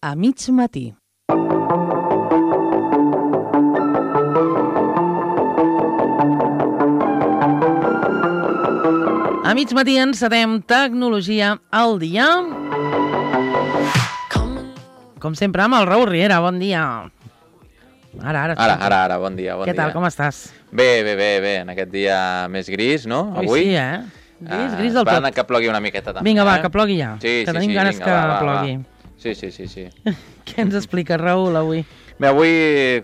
a mig matí. A mig matí encetem Tecnologia al dia. Com sempre, amb el Raül Riera. Bon dia. Ara, bon dia. Què tal, com estàs? Bé, en aquest dia més gris, no? Avui sí, Gris del tot. Esperant que plogui una miqueta també. Vinga, va, que plogui ja. Sí, que tenim ganes que plogui. Sí. Què ens explica, Raül, avui? Bé, avui,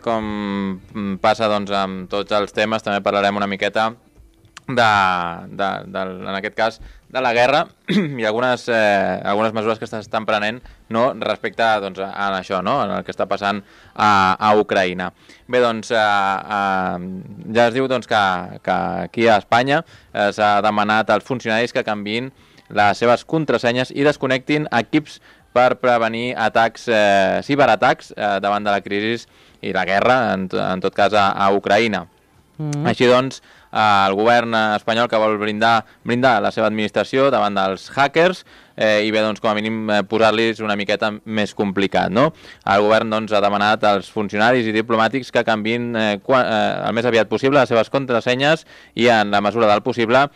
com passa doncs, amb tots els temes, també parlarem una miqueta en aquest cas, de la guerra i algunes mesures que s'estan prenent, no, respecte doncs, a això, no, en el que està passant a Ucraïna. Bé, doncs, ja es diu doncs, que aquí a Espanya s'ha demanat als funcionaris que canviïn les seves contrasenyes i desconnectin equips per prevenir atacs, ciberatacs davant de la crisi i la guerra, en tot cas a Ucraïna. Així doncs, el govern espanyol que vol blindar la seva administració davant dels hackers i bé, doncs, com a mínim posar-los una miqueta més complicat, no? El govern doncs, ha demanat als funcionaris i diplomàtics que canviïn el més aviat possible les seves contrasenyes i en la mesura del possible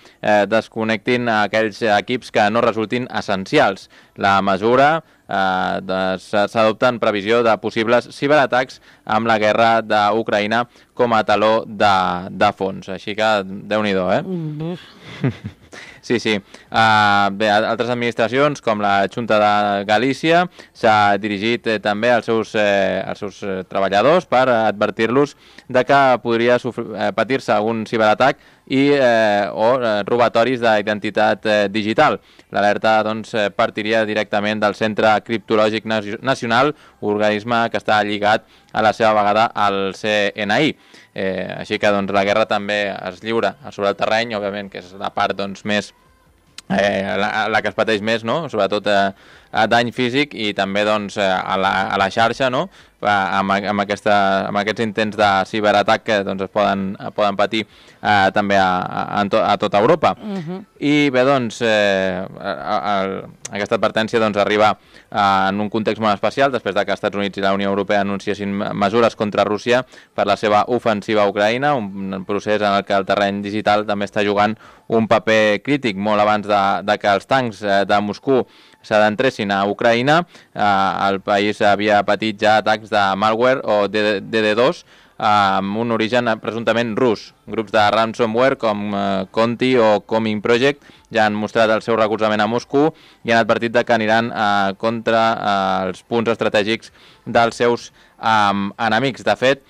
desconnectin aquells equips que no resultin essencials. La mesura s'adopta en previsió de possibles ciberatacs amb la guerra d'Ucraïna com a taló de fons. Així que, Déu-n'hi-do, Sí. Bé, altres administracions, com la Junta de Galícia, s'ha dirigit també als seus treballadors per advertir-los de que podria patir-se algun ciberatac o robatoris d'identitat digital. L'alerta doncs, partiria directament del Centre Criptològic Nacional, organisme que està lligat a la seva vegada al CNI. Així que doncs, la guerra també es lliura sobre el terreny, òbviament, que és la part doncs, més la que es pateix més, no? Sobretot a dany físic i també doncs, a la xarxa, no? Amb aquests intents de ciberatac que doncs, es poden patir també a tota Europa. I bé, doncs, aquesta advertència doncs, arriba en un context molt especial després que els Estats Units i la Unió Europea anunciessin mesures contra Rússia per la seva ofensiva a Ucraïna, un procés en el que el terreny digital també està jugant un paper crític molt abans de que els tancs de Moscou s'adentressin a Ucraïna. El país havia patit ja atacs de malware o DD2 amb un origen presumptament rus. Grups de ransomware com Conti o Coming Project ja han mostrat el seu recolzament a Moscou i han advertit que aniran contra els punts estratègics dels seus enemics. De fet,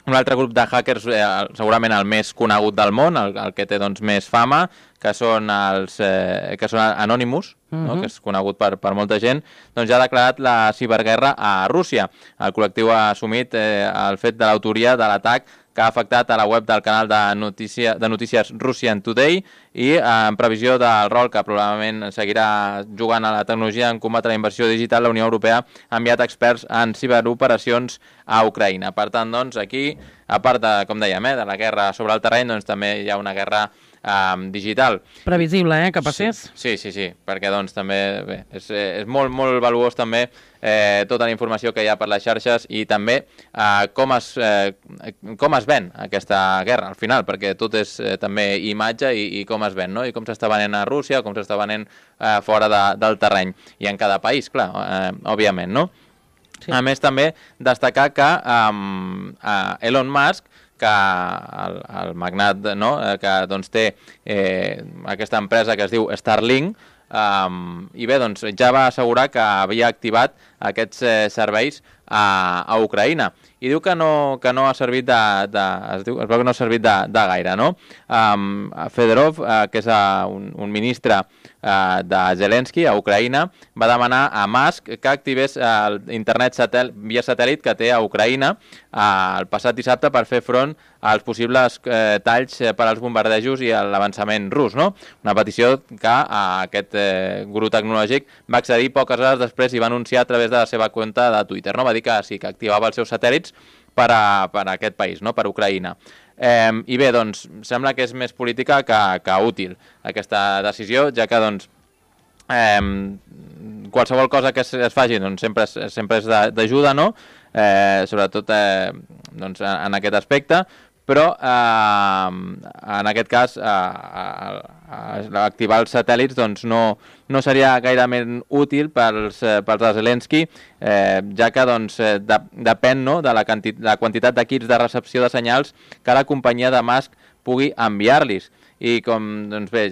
un altre grup de hackers, segurament el més conegut del món, el que té doncs, més fama, que són Anonymous, no? Que és conegut per molta gent, doncs ja ha declarat la ciberguerra a Rússia. El col·lectiu ha assumit el fet de l'autoria de l'atac que ha afectat a la web del canal de notícies Russian Today i en previsió del rol que probablement seguirà jugant a la tecnologia en combatre la inversió digital, la Unió Europea ha enviat experts en ciberoperacions a Ucraïna. Per tant, doncs, aquí, a part de, com dèiem, de la guerra sobre el terreny, doncs també hi ha una guerra digital. Previsible, que passés? Sí, perquè doncs també bé, és molt, molt valuós també tota la informació que hi ha per les xarxes i també com es ven aquesta guerra al final, perquè tot és també imatge i com es ven, no? I com s'està venent a Rússia, com s'està venent fora del terreny. I en cada país, clar, òbviament, no? Sí. A més, també destacar que Elon Musk, que el magnat, no? Que doncs, té aquesta empresa que es diu Starlink, i bé, doncs, ja va assegurar que havia activat aquests serveis a Ucraïna i diu que no ha servit es veu que no ha servit de gaire, no? Fedorov, que és un ministre de Zelensky a Ucraïna, va demanar a Musk que activés l'internet via satèl·lit que té a Ucraïna el passat dissabte per fer front als possibles talls per als bombardejos i l'avançament rus, no? Una petició que aquest guru tecnològic va accedir poques hores després i va anunciar a través de la seva compte de Twitter, no? Va dir que sí, que activava els seus satèl·lits per a aquest país, no? Per Ucraïna. I bé, doncs, sembla que és més política que útil aquesta decisió, ja que doncs, qualsevol cosa que es faci doncs sempre és d'ajuda, no? Sobretot doncs, en aquest aspecte, però en aquest cas activar els satèl·lits doncs, no seria gairament útil pels de Zelensky, ja que doncs, depèn, no, de la quantitat d'equips de recepció de senyals que la companyia de Musk pugui enviar-los. I doncs bé,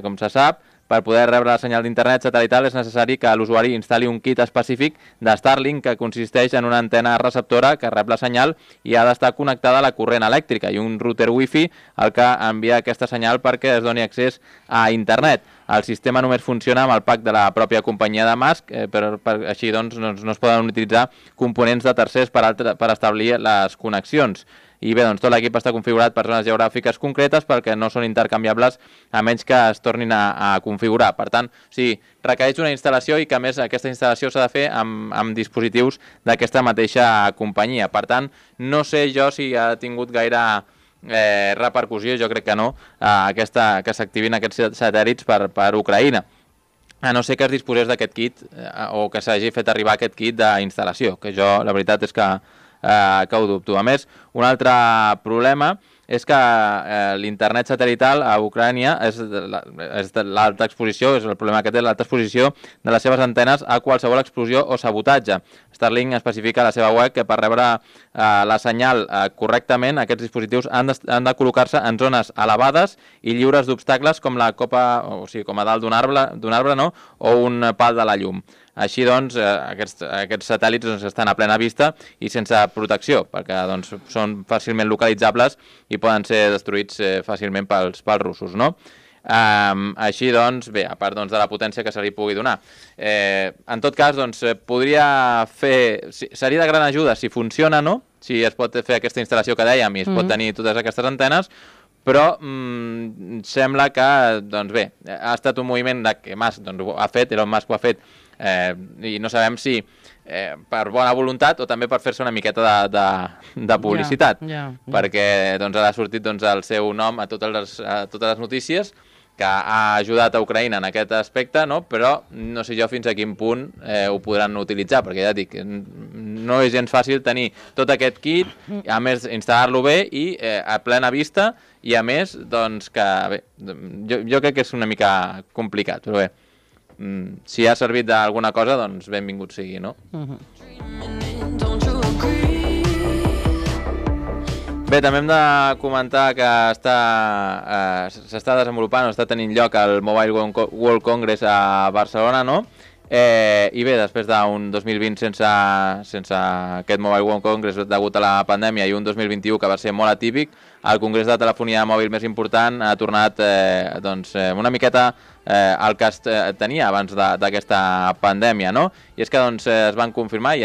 com se sap, per poder rebre la senyal d'internet satelital és necessari que l'usuari instal·li un kit específic de Starlink que consisteix en una antena receptora que rep la senyal i ha d'estar connectada a la corrent elèctrica i un router wifi el que envia aquesta senyal perquè es doni accés a internet. El sistema només funciona amb el pack de la pròpia companyia de Musk, però així doncs no es poden utilitzar components de tercers per establir les connexions. I bé, doncs tot l'equip està configurat per zones geogràfiques concretes perquè no són intercanviables a menys que es tornin a configurar. Per tant, requereix una instal·lació i que a més aquesta instal·lació s'ha de fer amb dispositius d'aquesta mateixa companyia. Per tant, no sé jo si ha tingut gaire repercussió, jo crec que no, que s'activin aquests satèl·lits per Ucraïna. A no ser que es disposés d'aquest kit o que s'hagi fet arribar aquest kit d'instal·lació, que jo la veritat és que ho dubto. A més, un altre problema és que l'internet satelital a Ucrània és l'alta exposició, és el problema que té l'alta exposició de les seves antenes a qualsevol explosió o sabotatge. Starlink especifica a la seva web que per rebre la senyal correctament aquests dispositius han de col·locar-se en zones elevades i lliures d'obstacles com la copa, o sigui, com a dalt d'un arbre, no? O un pal de la llum. Així doncs, aquests satèl·lits estan a plena vista i sense protecció, perquè doncs, són fàcilment localitzables i poden ser destruïts fàcilment pels russos, no? Així doncs, bé, a part de la potència que se li pugui donar. En tot cas, doncs, podria fer... Seria de gran ajuda si funciona, no? Si es pot fer aquesta instal·lació que dèiem i es pot tenir totes aquestes antenes, però sembla que, doncs bé, ha estat un moviment que Musk ha fet, Elon Musk ho ha fet, i no sabem si per bona voluntat o també per fer-se una miqueta de publicitat, perquè doncs, ha sortit el seu nom a totes les notícies, que ha ajudat a Ucraïna en aquest aspecte, no? Però no sé jo fins a quin punt ho podran utilitzar, perquè ja dic, no és gens fàcil tenir tot aquest kit, a més instal·lar-lo bé i a plena vista, i a més, doncs, que bé, jo crec que és una mica complicat, però bé, si ha servit d'alguna cosa, doncs benvingut sigui, no? Bé, també hem de comentar que s'està desenvolupant o està tenint lloc el Mobile World Congress a Barcelona, no? I bé, després d'un 2020 sense aquest Mobile World Congress degut a la pandèmia i un 2021 que va ser molt atípic, el congrés de telefonia mòbil més important ha tornat una miqueta el que es tenia abans d'aquesta pandèmia, no? I és que es van confirmar i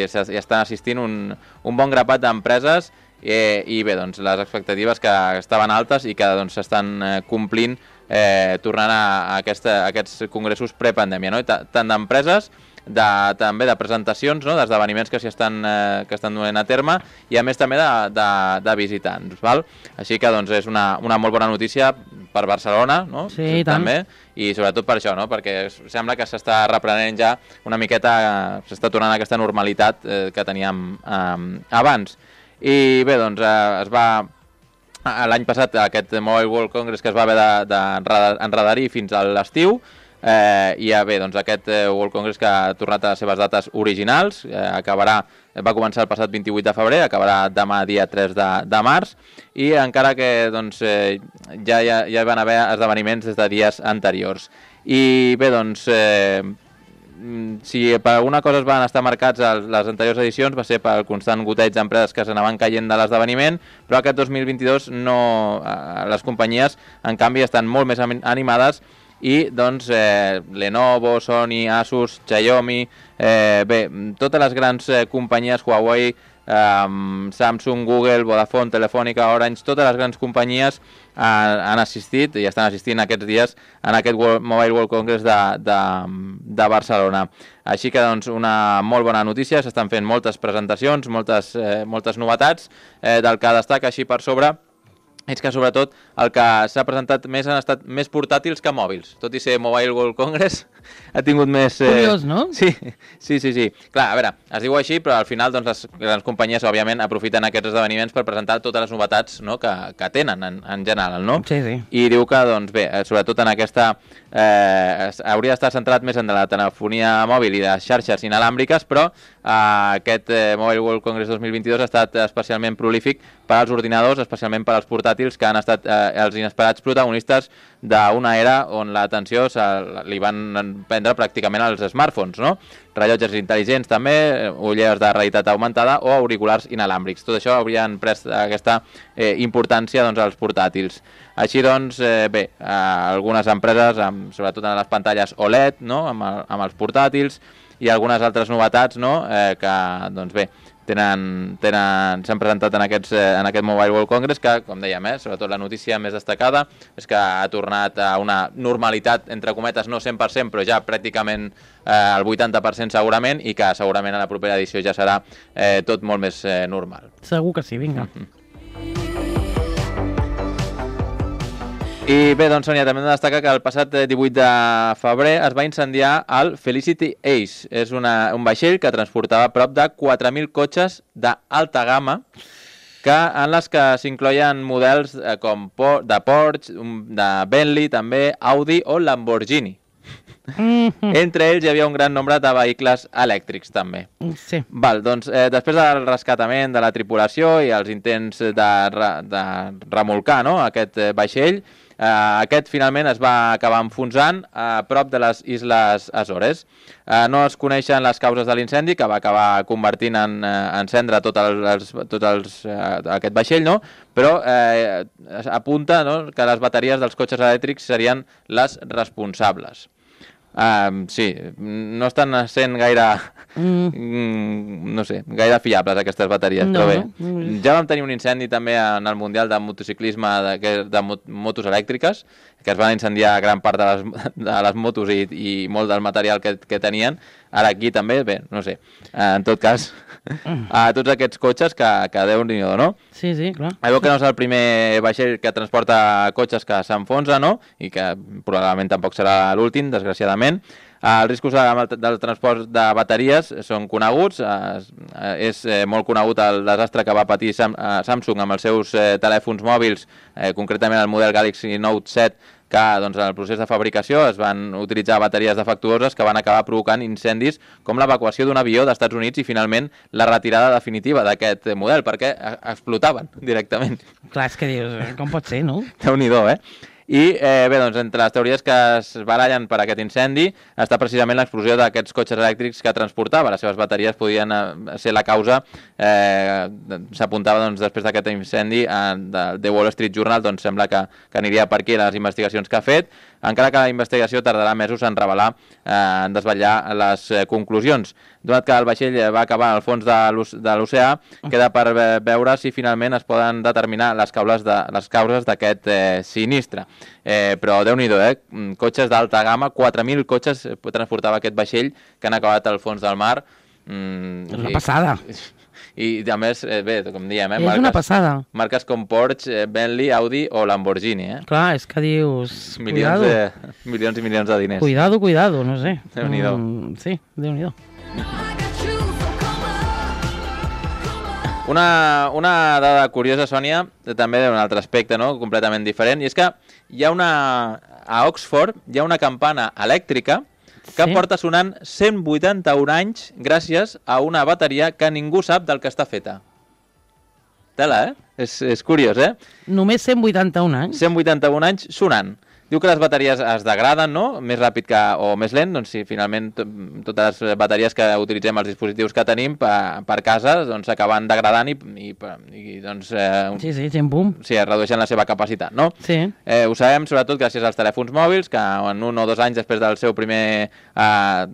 estan assistint un bon grapat d'empreses i bé, les expectatives que estaven altes i que s'estan complint tornant a aquests congressos prepandèmia, no? Tant d'empreses, també de presentacions, no? D'esdeveniments que estan duent a terme i a més també de visitants, val? Així que és una molt bona notícia per Barcelona, no? Sí, també, i sobretot per això, no? Perquè sembla que s'està reprenent ja una miqueta, s'està tornant a aquesta normalitat que teníem abans. I bé, es va l'any passat aquest Mobile World Congress que es va haver d'enredarir fins a l'estiu, i bé, aquest World Congress que ha tornat a les seves dates originals, va començar el passat 28 de febrer, acabarà demà dia 3 de març, i encara que ja van haver esdeveniments des de dies anteriors. I bé, si per alguna cosa es van estar marcats les anteriors edicions va ser pel constant goteig d'empreses que s'anaven caient de l'esdeveniment, però aquest 2022 les companyies en canvi estan molt més animades i Lenovo, Sony, Asus, Xiaomi, bé, totes les grans companyies, Huawei, Samsung, Google, Vodafone, Telefònica, Orange, totes les grans companyies han assistit i estan assistint aquests dies en aquest Mobile World Congress de Barcelona. Així que una molt bona notícia, s'estan fent moltes presentacions, moltes novetats, del que destaca així per sobre és que sobretot el que s'ha presentat més han estat més portàtils que mòbils. Tot i ser Mobile World Congress, ha tingut més... Curiós, no? Sí. Clar, a veure, es diu així, però al final doncs, les grans companyies, òbviament, aprofiten aquests esdeveniments per presentar totes les novetats, no?, que tenen en general, no? Sí. I diu que, doncs bé, sobretot en aquesta... hauria d'estar centrat més en la telefonia mòbil i de xarxes inalàmbriques, però aquest Mobile World Congress 2022 ha estat especialment prolífic per als ordinadors, especialment per als portàtils, que han estat els inesperats protagonistes d'una era on l'atenció li van prendre pràcticament als smartphones, no? Rellotges intel·ligents també, ulleres de realitat augmentada o auriculars inalàmbrics. Tot això haurien pres aquesta importància doncs, als portàtils. Així doncs, bé, algunes empreses, sobretot en les pantalles OLED, no?, amb els portàtils, i algunes altres novetats, no?, que, doncs bé, s'han presentat en aquest Mobile World Congress, que, com dèiem, sobretot la notícia més destacada és que ha tornat a una normalitat, entre cometes, no 100%, però ja pràcticament el 80% segurament, i que segurament a la propera edició ja serà tot molt més normal. Segur que sí, vinga. I bé, doncs, Sònia, també hem de destacar que el passat 18 de febrer es va incendiar el Felicity Ace. És un vaixell que transportava prop de 4.000 cotxes d'alta gamma, en les que s'incloien models com de Porsche, de Bentley, també Audi o Lamborghini. Entre ells hi havia un gran nombre de vehicles elèctrics, també. Sí. Val, doncs, després del rescatament de la tripulació i els intents de remolcar, no?, aquest vaixell, aquest finalment es va acabar enfonsant a prop de les Isles Açores. No es coneixen les causes de l'incendi, que va acabar convertint en cendra tot aquest vaixell, no?, però apunta, no?, que les bateries dels cotxes elèctrics serien les responsables. Sí, no estan sent gaire, no sé, gaire fiables aquestes bateries, però bé. Ja vam tenir un incendi també en el Mundial de Motociclisme de motos elèctriques, que es van incendiar gran part de les motos i molt del material que tenien. Ara aquí també, bé, no sé, en tot cas, a tots aquests cotxes que Déu-n'hi-do, no? Sí, clar. Veu que no és el primer vaixell que transporta cotxes que s'enfonsa, no?, i que probablement tampoc serà l'últim, desgraciadament. Els riscos del transport de bateries són coneguts. És molt conegut el desastre que va patir Samsung amb els seus telèfons mòbils, concretament el model Galaxy Note 7, que doncs, en el procés de fabricació es van utilitzar bateries defectuoses que van acabar provocant incendis com l'evacuació d'un avió d'Estats Units i finalment la retirada definitiva d'aquest model, perquè explotaven directament. Clar, és que dius, com pot ser, no? Déu-n'hi-do, I bé, doncs, entre les teories que es barallen per aquest incendi està precisament l'explosió d'aquests cotxes elèctrics que transportava. Les seves bateries podien ser la causa. S'apuntava doncs, després d'aquest incendi de The Wall Street Journal, doncs sembla que aniria per aquí les investigacions que ha fet, encara que la investigació tardarà mesos en revelar, en desvetllar les conclusions. Donat que el vaixell va acabar al fons de l'oceà, queda per veure si finalment es poden determinar les causes d'aquest sinistre. Però Déu-n'hi-do, cotxes d'alta gamma, 4.000 cotxes transportava aquest vaixell que han acabat al fons del mar. És una passada. I a més, bé, com diem, és una passada. Marques com Porsche, Bentley, Audi o Lamborghini. Clar, és que dius... Milions i milions de diners. Cuidado, no sé. Déu-n'hi-do. Sí, Déu-n'hi-do. Una dada curiosa, Sònia, també d'un altre aspecte, no?, completament diferent, i és que a Oxford hi ha una campana elèctrica que porta sonant 181 anys gràcies a una bateria que ningú sap del que està feta. Tela, És curiós, Només 181 anys? 181 anys sonant. Diu que les bateries es degraden, no?, més ràpid o més lent. Doncs si finalment totes les bateries que utilitzem als dispositius que tenim per casa doncs s'acaben degradant i doncs... Sí, xim-pum. Sí, es redueixen la seva capacitat, no? Sí. Ho sabem sobretot gràcies als telèfons mòbils, que en 1 o 2 anys després del seu primer...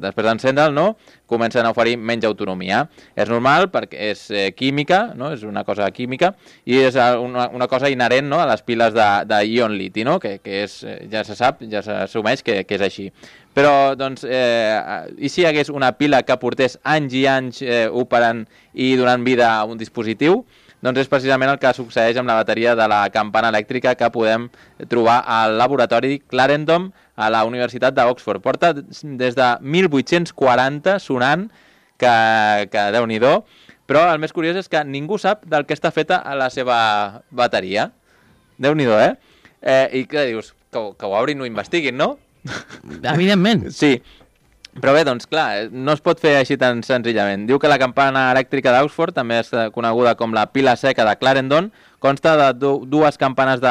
després d'encendre'l, no?, comencen a oferir menys autonomia. És normal perquè és química, no?, és una cosa química, i és una cosa inherent, no?, a les piles d'ion liti, no?, que és, ja se sap, ja s'assumeix que és així. Però, doncs, i si hi hagués una pila que portés anys i anys operant i donant vida a un dispositiu, doncs és precisament el que succeeix amb la bateria de la campana elèctrica que podem trobar al laboratori Clarendon a la Universitat d'Oxford. Porta des de 1840 sonant, que Déu-n'hi-do, però el més curiós és que ningú sap del que està feta la seva bateria. Déu-n'hi-do, I què dius? Que ho obrin i ho investiguin, no? Evidentment. Sí. Però bé, doncs clar, no es pot fer així tan senzillament. Diu que la campana elèctrica d'Oxford, també és coneguda com la pila seca de Clarendon, consta de dues campanes de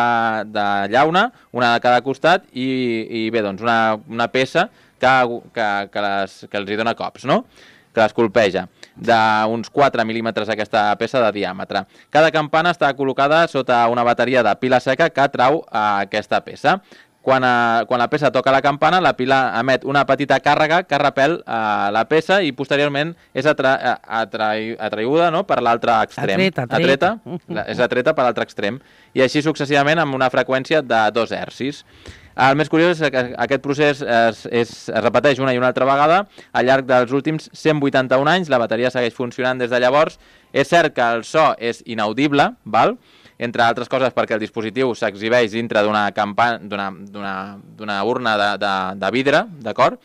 llauna, una de cada costat, i bé, doncs una peça que els hi dona cops, no? Que les colpeja, d'uns 4 mil·límetres aquesta peça de diàmetre. Cada campana està col·locada sota una bateria de pila seca que trau aquesta peça. Quan la peça toca la campana, la pila emet una petita càrrega que repel la peça i posteriorment és atraïda, no?, per l'altre extrem. Atreta. És atreta per l'altre extrem. I així successivament amb una freqüència de 2 hertzis. El més curiós és que aquest procés es repeteix una i una altra vegada al llarg dels últims 181 anys. La bateria segueix funcionant des de llavors. És cert que el so és inaudible, val?, entre altres coses perquè el dispositiu s'exhibeix dintre d'una urna de vidre, d'acord?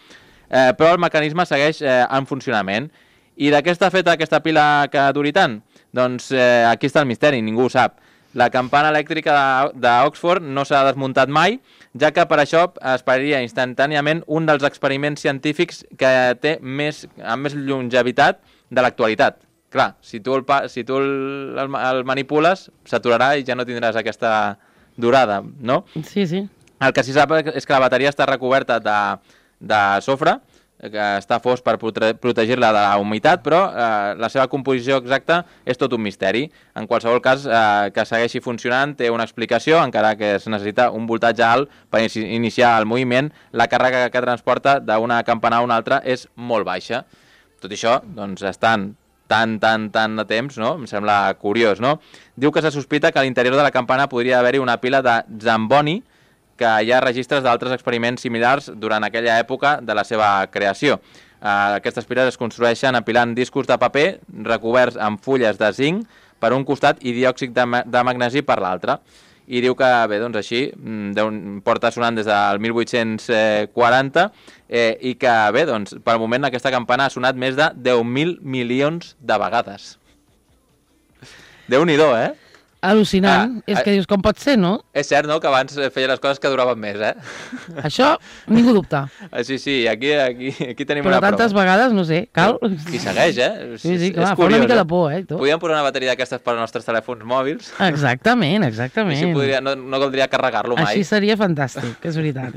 Però el mecanisme segueix en funcionament. I de què està feta aquesta pila que duri tant? Doncs aquí està el misteri, ningú ho sap. La campana elèctrica d'Oxford no s'ha desmuntat mai, ja que per això es pararia instantàniament un dels experiments científics que té amb més longevitat de l'actualitat. Clar, si tu el manipules, s'aturarà i ja no tindràs aquesta durada, no? Sí, sí. El que sí sap és que la bateria està recoberta de sofre, que està fos per protegir-la de la humitat, però la seva composició exacta és tot un misteri. En qualsevol cas, que segueixi funcionant té una explicació, encara que es necessita un voltatge alt per iniciar el moviment. La càrrega que transporta d'una campana a una altra és molt baixa. Tot això, doncs, estan tant de temps, no? Em sembla curiós, no? Diu que se sospita que a l'interior de la campana podria haver-hi una pila de Zamboni, que hi ha registres d'altres experiments similars durant aquella època de la seva creació. Aquestes piles es construeixen apilant discos de paper recoberts amb fulles de zinc per un costat i diòxid de magnesi per l'altre. I diu que, bé, doncs així, porta sonant des del 1840 i que, bé, doncs, pel moment aquesta campana ha sonat més de 10.000 milions de vegades. Déu-n'hi-do, Al·lucinant. És que dius, com pot ser, no? És cert, no?, que abans feia les coses que duraven més, Això, ningú dubta. Sí, aquí tenim Però una prova. tantes vegades, no sé, cal... I segueix, Sí, clar, fa una mica de por, tot. Podríem posar una bateria d'aquestes per als nostres telèfons mòbils. Exactament. Així no caldria carregar-lo mai. Així seria fantàstic, és veritat.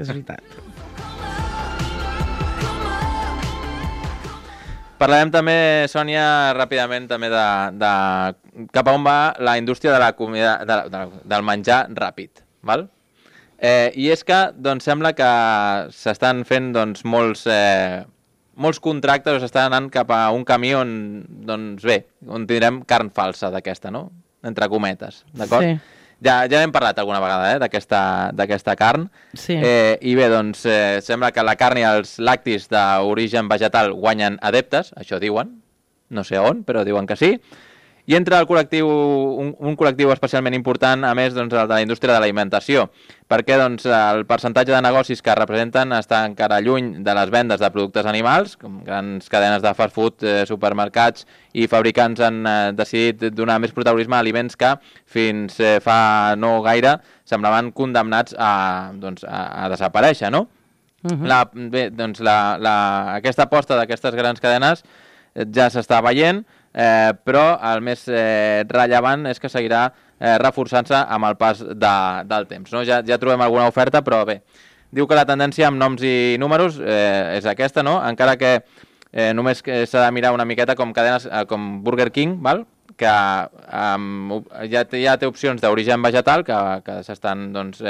Parlarem també, Sònia, ràpidament també de cap a on va la indústria de la comida, del menjar ràpid, val? I és que, doncs, sembla que s'estan fent, doncs, molts contractes o s'estan anant cap a un camí on, doncs, bé, on tindrem carn falsa d'aquesta, no? Entre cometes, d'acord? Sí. Ja n'hem parlat alguna vegada, d'aquesta carn. Sí. I bé, doncs, sembla que la carn i els lactis d'origen vegetal guanyen adeptes, això diuen, no sé on, però diuen que sí. I entra el col·lectiu, un col·lectiu especialment important, a més, doncs, el de la indústria de l'alimentació, perquè doncs, el percentatge de negocis que representen està encara lluny de les vendes de productes animals, com grans cadenes de fast food, supermercats i fabricants han decidit donar més protagonisme a aliments que fins fa no gaire semblaven condemnats a desaparèixer, no? Bé, doncs aquesta aposta d'aquestes grans cadenes ja s'està veient, però el més rellevant és que seguirà reforçant-se amb el pas del temps, no? Ja trobem alguna oferta, però bé, diu que la tendència amb noms i números és aquesta, no? Encara que només s'ha de mirar una miqueta com cadenes com Burger King, val? Que ja té opcions d'origen vegetal que tenen doncs,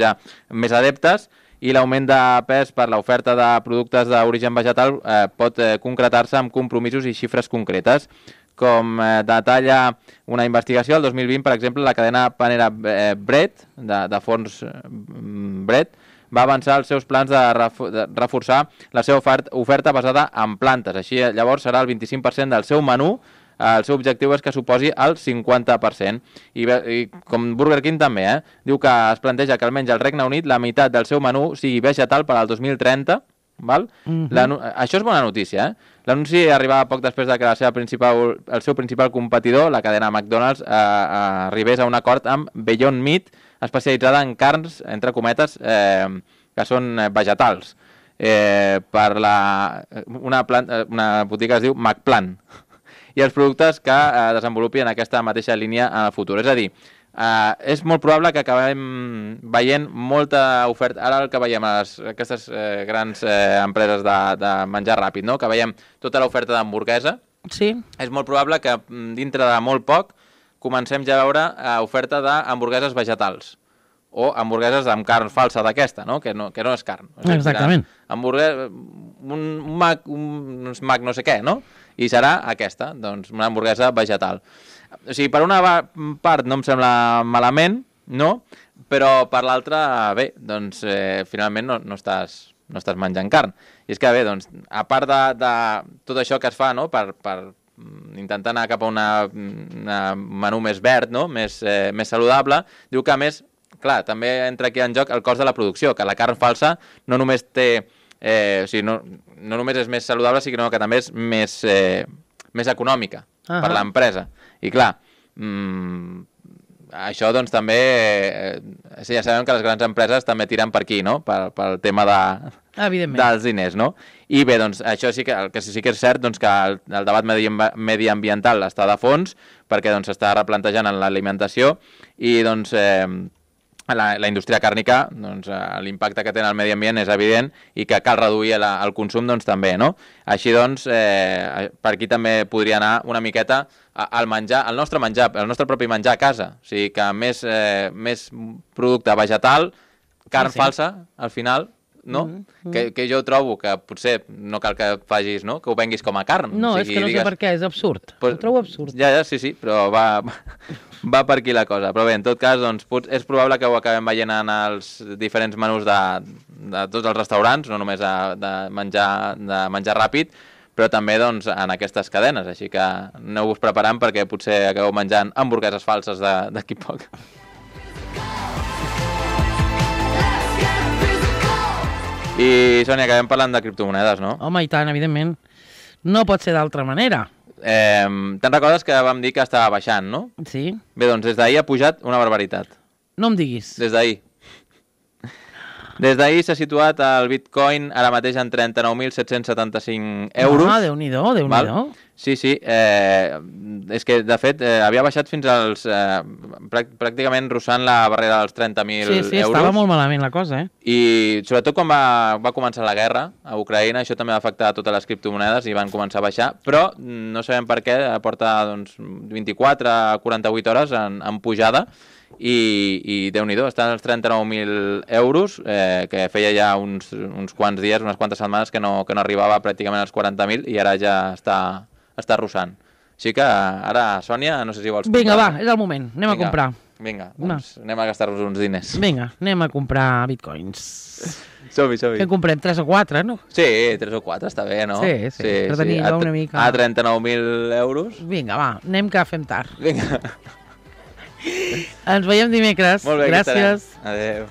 ja més adeptes, i l'augment de pes per l'oferta de productes d'origen vegetal pot concretar-se amb compromisos i xifres concretes. Com detalla una investigació, el 2020, per exemple, la cadena Panera Bread, de forns Bread, va avançar els seus plans de reforçar la seva oferta basada en plantes. Així, llavors, serà el 25% del seu menú el seu objectiu és que suposi el 50%. I com Burger King també, diu que es planteja que almenys al Regne Unit la meitat del seu menú sigui vegetal per al 2030, val? Això és bona notícia, L'anunci arribava poc després de que el seu principal competidor, la cadena McDonald's, arribés a un acord amb Beyond Meat, especialitzada en carns, entre cometes, que són vegetals. Per una botiga es diu McPlant, i els productes que desenvolupi en aquesta mateixa línia en el futur. És a dir, és molt probable que acabem veient molta oferta. Ara el que veiem a aquestes grans empreses de menjar ràpid, no? Que veiem tota l'oferta d'hamburguesa. Sí. És molt probable que dintre de molt poc comencem ja a veure oferta d'hamburgueses vegetals o hamburgueses amb carn falsa d'aquesta, no? Que no és carn. O sigui, exactament. Un Mac no sé què, no? I serà aquesta, doncs, una hamburguesa vegetal. O sigui, per una part no em sembla malament, no? Però per l'altra, bé, doncs finalment no estàs menjant carn. I és que, bé, doncs, a part de tot això que es fa, no?, per intentar anar cap a un menú més verd, no?, més saludable, diu que, a més, clar, també entra aquí en joc el cost de la producció, que la carn falsa no només té... o sigui, no només és més saludable, sinó que també és més econòmica per l'empresa. I clar, això doncs també... ja sabem que les grans empreses també tiren per aquí, no?, pel tema dels diners, no? I bé, doncs això sí que és cert, doncs, que el debat mediambiental està de fons, perquè doncs s'està replantejant en l'alimentació i doncs... la indústria càrnica, doncs, l'impacte que té en el medi ambient és evident i que cal reduir el consum, doncs, també, no? Així, doncs, per aquí també podria anar una miqueta al menjar, el nostre propi menjar a casa. O sigui, que més producte vegetal, carn falsa, al final, no? Que jo trobo que potser no cal que facis, no?, que ho venguis com a carn. No, és que no sé per què, és absurd. Ho trobo absurd. Ja, sí, però va per aquí la cosa. Però bé, en tot cas, doncs, és probable que ho acabem veient en els diferents menús de tots els restaurants, no només de menjar ràpid, però també doncs, en aquestes cadenes. Així que aneu-vos preparant perquè potser acabeu menjant hamburgueses falses d'aquí poc. I, Sònia, acabem parlant de criptomonedes, no? Home, i tant, evidentment. No pot ser d'altra manera. Te'n recordes que vam dir que estava baixant, no? Sí. Bé, doncs des d'ahir ha pujat una barbaritat. No em diguis. Des d'ahir. Des d'ahir s'ha situat el Bitcoin ara mateix en 39.775 euros. Ah, Déu-n'hi-do, Déu-n'hi-do. Sí, és que, de fet, havia baixat fins als... pràcticament rossant la barrera dels 30.000 euros. Sí, estava molt malament la cosa, I sobretot quan va començar la guerra a Ucraïna, això també va afectar a totes les criptomonedes i van començar a baixar, però no sabem per què, porta doncs, 24 a 48 hores en pujada, i Déu-n'hi-do, estan als 39.000 euros, que feia ja uns quants dies, unes quantes setmanes que no arribava pràcticament als 40.000 i ara ja està rossant. Així que ara, Sònia, no sé si vols comprar. Vinga, va, és el moment, anem a comprar. Vinga, doncs anem a gastar-nos uns diners. Vinga, anem a comprar bitcoins. Som-hi. Que comprem 3 o 4, no? Sí, 3 o 4 està bé, no? Sí, per tenir una mica... A 39.000 euros. Vinga, va, anem que fem tard. Vinga. Ens veiem dimecres. Molt bé, gràcies. Adéu.